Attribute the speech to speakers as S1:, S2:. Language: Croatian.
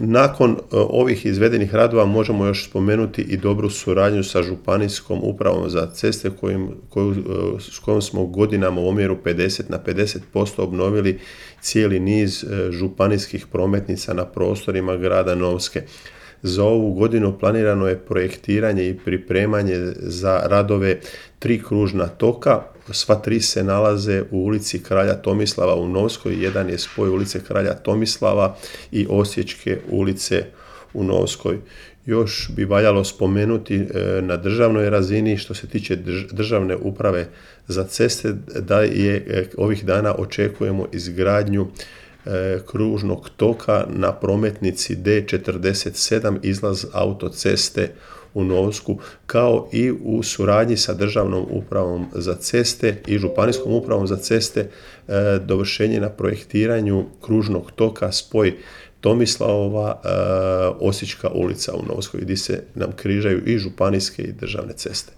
S1: Nakon ovih izvedenih radova možemo još spomenuti i dobru suradnju sa Županijskom upravom za ceste s kojom smo godinama u omjeru 50 na 50% obnovili cijeli niz županijskih prometnica na prostorima grada Novske. Za ovu godinu planirano je projektiranje i pripremanje za radove 3 kružna toka. Sva 3 se nalaze u ulici Kralja Tomislava u Novskoj. Jedan je spoj ulice Kralja Tomislava i Osječke ulice u Novskoj. Još bi valjalo spomenuti na državnoj razini, što se tiče državne uprave za ceste, da je ovih dana očekujemo izgradnju kružnog toka na prometnici D47 izlaz autoceste u Novsku, kao i u suradnji sa Državnom upravom za ceste i Županijskom upravom za ceste dovršenje na projektiranju kružnog toka spoj Tomislavova Osječka ulica u Novskoj, gdje se nam križaju i županijske i državne ceste.